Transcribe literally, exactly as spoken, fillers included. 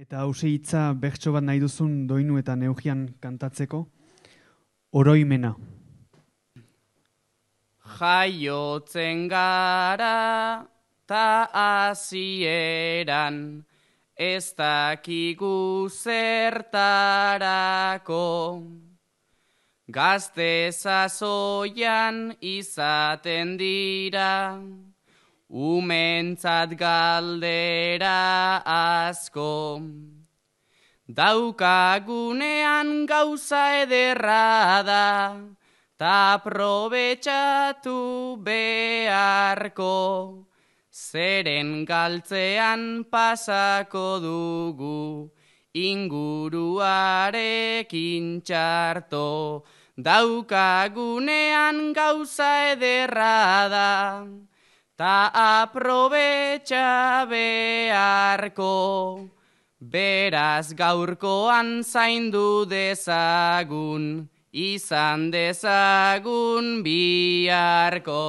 Eta hause hitza bertso bat nahi duzun doinu eta neugian kantatzeko, oroimena. Jaiotzen gara ta hasieran, ez dakigu zertarako. Gazte sasoian izaten dira, umentzat galdera asko. Daukagunean gauza ederra da, ta aprobetxatu beharko. Zeren galtzean pasako dugu, inguruarekin txarto. Daukagunean gauza ederra da, ta aprobetxa beharko. Beraz gaurkoan zaindu dezagun, izan dezagun biharko.